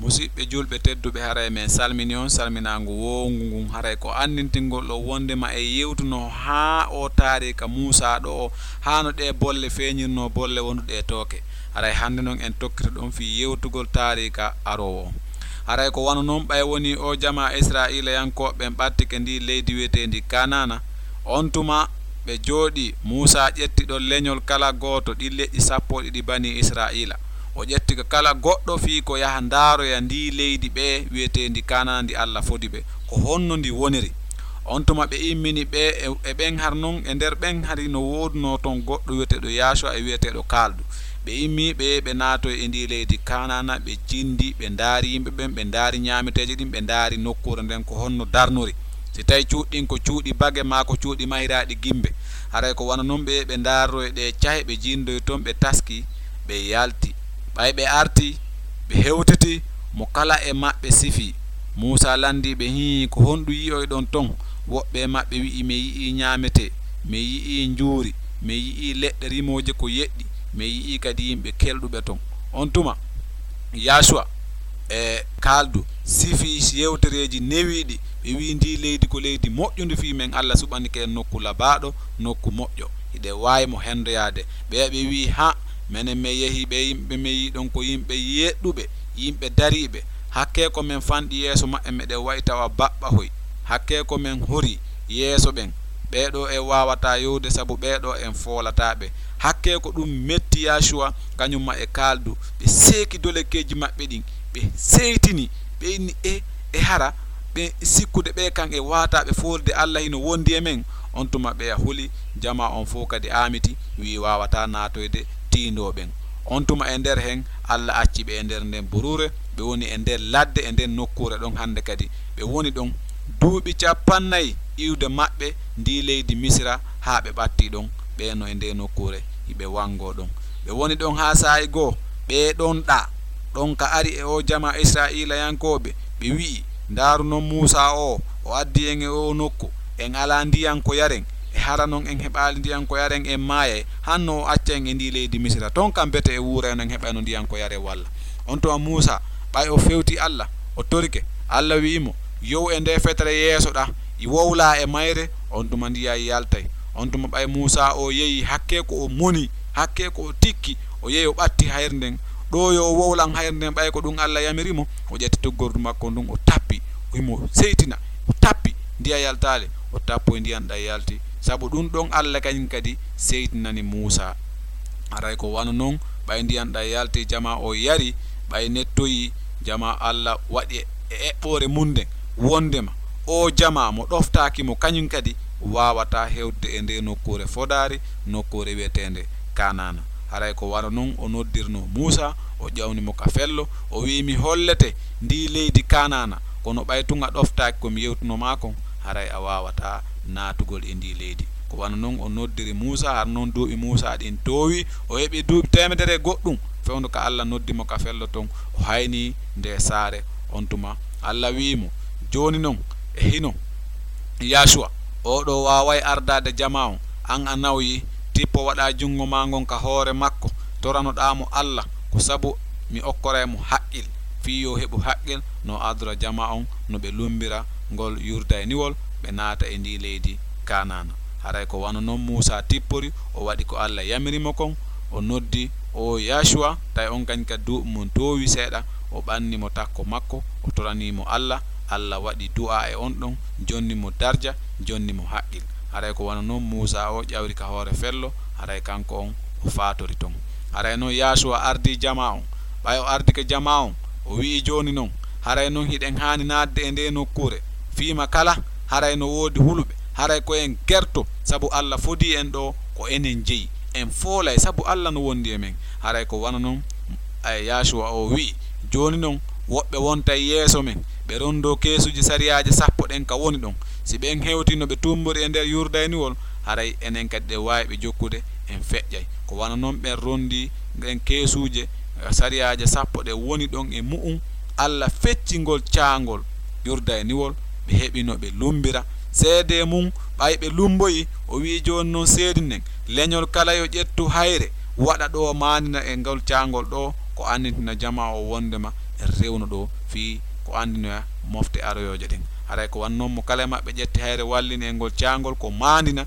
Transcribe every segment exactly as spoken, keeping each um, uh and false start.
Musiɗɓe julɓe tedduɓe, haray men salmini on salminaangu woowngu ngun. Haray ko anndintingol ɗo wonndema e yewtuno haa o taariika Muusaa ɗo o, haa no ɗee bolle feeñirnoo bolle wonduɗe e tooke. Haray hannde non en tokkito ɗon fii yewtugol taariika aroowo on. Haray ko wano non ɓay wonii o jamaa Israa'iilayankooɓe ɓen ɓattike ndii leydi wi'eteendi Kanaana, on tuma ɓe jooɗii, Muusaa ƴetti ɗon leñol kala gooto ɗin leƴƴi sappo e ɗiɗi banii Israa'iila. O ƴetti ka kala goɗɗo fii ko yaha ndaaroya ndii leydi ɓe wi'eteendi Kanaana ndi Alla fodi ɓe, ko honno ndi woniri. On tuma ɓe immini ɓe e, e ɓen har non, e nder ɓen hari no woodunoo ton goɗɗo wi'eteeɗo Yaasuwa e wi'eteeɗo Kaaldu. Ɓe immii ɓe, ɓe naatoyi e ndii leydi Kanaana, ɓe cindi, ɓe ndaari yimɓe ɓen, ɓe ndaari ñaameteeje ɗin, ɓe ndaari nokkuure nden ko honno darnori. Si tawi cuuɗi ɗin ko cuuɗi bage maa ko cuuɗi mahiraaɗi gimbe, haray ko wano non ɓe, ɓe ndaarroyi ɗee cahe, ɓe jindoyi ton, ɓe taski, ɓe yalti. Ɓay ɓe arti, ɓe hewtiti, mo kala e maɓɓe sifi. Muusaa landii ɓe, hii, ko honɗun yi'oyɗon ton? Woɓɓe e maɓɓe wi'i, men yi'ii ñaametee, men yi'ii njuuri, men yi'ii leɗɗe rimooje ko yeɗɗi, men yi'ii kadi yimɓe kelɗuɓe ton. On tuma, Yaasuwa e Kaaldu sifi yewtereeji newiiɗi, ɓe wi'i, ndii leydi ko leydi moƴƴundi fii men, Alla suɓanike en nokku labaaɗo, nokku moƴƴo. Hiɗen waawi mo hendoyaade. Ɓeya ɓe wi'i, haa, menen men yehii ɓee yimɓe men yi'i ɗon ko yimɓe yeɗɗuɓe, yimɓe dariiɓe. Hakkee ko men fanɗi yeeso maɓɓe, meɗen wa'i tawa baɓɓahoy. Hakkee ko men horii yeeso ɓen. Ɓee ɗoo en waawataa yowude sabu ɓee ɗoo en foolataa ɓe. Hakkee ko ɗun metti Yaasuwa kañun maa e Kaaldu. Ɓe seeki dolekeeji maɓɓe ɗin, ɓe seytini, ɓe inni, e, e hara ɓe sikkude ɓee kan e waataaɓe foolude Alla hino wondi e men. On tuma ɓeya huli, jamaa on fow kadi aamiti, wi'i waawataa naatoyde tiindoo ɓen. On tuma e nder hen, Alla acci ɓe e nder nden buruure, ɓe woni e nder ladde, e nden nokkuure ɗon hannde kadi. Ɓe woni ɗon duuɓi cappannayi iwde maɓɓe ndii leydi Misira, haa ɓe ɓattii ɗon, ɓee no e ndee nokkuure, hiɓe wangoo ɗon. Ɓe woni ɗon haa saa'i goo, ɓee ɗon ɗaa, ɗon ka ari e oo jamaa Israa'iilayankooɓe, ɓe wi'i, ndaaru non Muusaa oo, o addi en e oo nokku, en alaa ndiyan ko yaren, e hara non en heɓaali ndiyan ko yaren, en maayay, hanno o acca en e ndii leydi Misira. Ton kam bete e wuurayno en heɓayno ndiyan ko yaren walla. On tuma Muusaa, ɓay o fewti Alla, o torike, Alla wi'i mo, yow e ndee fetere yeeso ɗaa, i wowlaa e mayre, on tuma ndiyan yaltay. On tuma ɓay Muusaa o yehi, hakkee ko o moni, hakkee ko o tikki, o yehi o ɓatti hayre nden. Ɗoo yo o wowlan hayre nden, ɓay ko ɗun Alla yamiri mo, o ƴetti tuggordu makko ndun, o tappi, o himo seytina, o tappi, ndiyan yaltaali, o tappoyi ndiyan ɗan yalti. Sabu ɗun ɗon Alla kañun kadi seytinani Muusaa. Haray ko wano non, ɓay ndiyan ɗan yalti, jamaa o yari, ɓay nettoyi, jamaa Alla waɗi e eɓɓoore mun nden, wondema oo jamaa mo ɗoftaaki mo, kañun kadi waawataa hewtude e ndee nokkuure fodaari, nokkuure wi'eteende Kanaana. Haray ko wano non o noddirnoo Muusaa, o ƴawni mo ka fello, o wi'i, mi hollete ndii leydi Kanaana, kono ɓay tun a ɗoftaaki ko mi yewtunoo maa kon, haray a waawataa naatugol e ndii leydi. Ko wano non o noddiri Muusaa, har non duuɓi Muusaa ɗin toowi, o heɓi duuɓi teemedere e goɗɗun, fewndo ka Alla noddi mo ka fello ton, o haynii ndee saare. On tuma Alla wi'i mo, jooni non, e hino, Yaasuwa, oo ɗoo waaway ardaade jamaa on, an a nawyi, tippo waɗaa junngo maa ngon ka hoore makko, toranoɗaa mo Alla, ko sabu mi okkoray mo haqqil, fii yo heɓu haqqil no ardora jamaa on, no ɓe lummbira ngol Yurdayniwol, ɓe naata e ndii leydi Kanaana. Haray ko wano non Muusaa tippori, o waɗi ko Alla yamiri mo kon, o noddi oo Yaasuwa, tawi on kañun kadi duuɓi mun toowi seeɗa, o ɓanni mo takko makko, o toranii mo Alla, Alla waɗi du'aa e on ɗon, jonni mo darja, jonni mo haqqil. Haray ko wano non Muusaa o ƴawri ka hoore fello, haray kanko on o faatori ton. Haray non Yaasuwa ardii jamaa on. Ɓay o ardike jamaa on, o wi'i, jooni non, haray non hiɗen haani naatde e ndee nokkuure. Fii ma kala, haray no woodi huluɓe, haray ko en gerto, sabu Alla fodii en ɗoo, ko enen jeyi. En foolay, sabu Alla no wondi e men. Haray ko wano non, ay, Yaasuwa o wi'i, jooni non, woɓɓe wontay yeeso men, ɓe rondoo keesuuji sariyaaje sappo ɗen ka woni ɗon. Si ɓen hewtii no ɓe tumbori e nder Yurdayniwol, haray enen kadi ɗen waawi ɓe jokkude, en feƴƴay. Ko wano non ɓen rondii ɗen keesuuje, sariyaaje sappo ɗen woni ɗon e mu'un, Alla fecci ngol caangol Yurdayniwol, ɓe heɓi no ɓe lummbira. Seedee mun, ɓay ɓe lummboyii, o wi'i, jooni non seedinen, leñol kala yo ƴettu hayre, waɗa ɗoo maanina e ngol caangol ɗoo, ko annitina jamaa o wondema rewno ɗo fii ko anndinoya mofte aroyooje ɗen. Haray ko wannoon mo kala e maɓɓe ƴetti hayre wallini e ngol caangol ko maandina.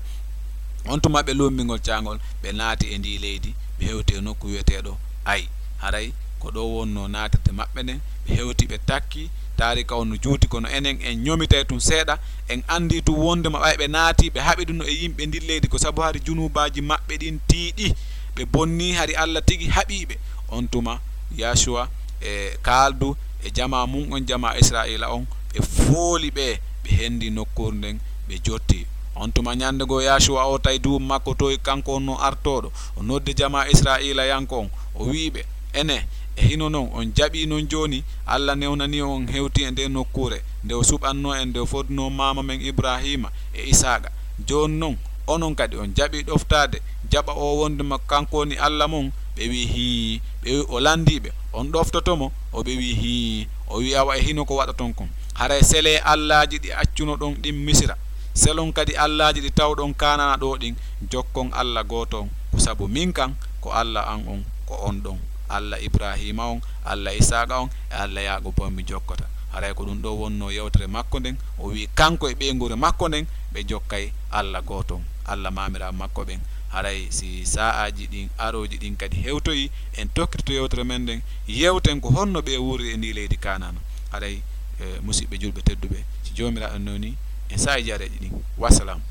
On tuma ɓe lummbi ngol caangol, ɓe naati e ndii leydi, ɓe hewti e nokku wi'eteeɗo Ay. Haray ko ɗo wonnoo naatirde maɓɓe nden, ɓe hewti ɓe takki. Taarika on no juuti, kono enen en ñomitay tun seeɗa. En anndii tun wonndema ɓay ɓe naati, ɓe haɓiduno e yimɓe ndin leydi, ko sabu hari junuubaaji maɓɓe ɗin tiiɗi, ɓe bonnii, hari Alla tigi haɓii ɓe. On tuma Yaasuwa e Kaaldu e jamaa mun on, jamaa Israa'iila on, ɓe fooli ɓe, ɓe hendi nokkuure nden, ɓe jotti. On tuma ñande goo Yaasuwa o tawi duuɓi makko towi, kanko on no artooɗo, o noddi jamaa Israa'iilayanko on, o wi'i ɓe, Enee, e hino non on jaɓii non jooni? Alla newnanii on, on hewtii e ndee nokkuure nde o suɓannoo en, nde o fodunoo maama men Ibraahiima e Isaaqa. Jooni non, onon kadi on jaɓii ɗoftaade, jaɓa o wonndema kanko woni Alla mon? Ɓe wi'i, Hii. Ɓe wi'i, O lanndii ɓe, On ɗoftoto mo? O ɓe wi'i, Hii. O wi'i, Awa, e hino ko waɗoton kon? Haray selee allaaji ɗi accunoɗon ɗin Misira, selon kadi allaaji ɗi tawɗon Kaanana ɗoo ɗin, jokkon Alla gooto on, ko sabu min kan, ko Alla an on, ko on ɗon Alla Ibraahiima on, Alla Isaaqa on, e Alla Yaaquuba on mi jokkata. Haray ko ɗun ɗoo wonnoo yewtere makko nden, o wi'i kanko e ɓeynguure makko nden, ɓe jokkay Alla gooto on, Alla maamiraaɓe makko ɓen. Haray si saa'aaji ɗin arooji ɗin kadi hewtoyii, en tokkitoto yewtere men nden, yewten ko honno ɓe wuuri e ndii leydi Kaanana. Haray, eh, musiɓɓe julɓe tedduɓe, si Joomiraaɗo newnii, en saa'i jareeji ɗin. Wassalaamu.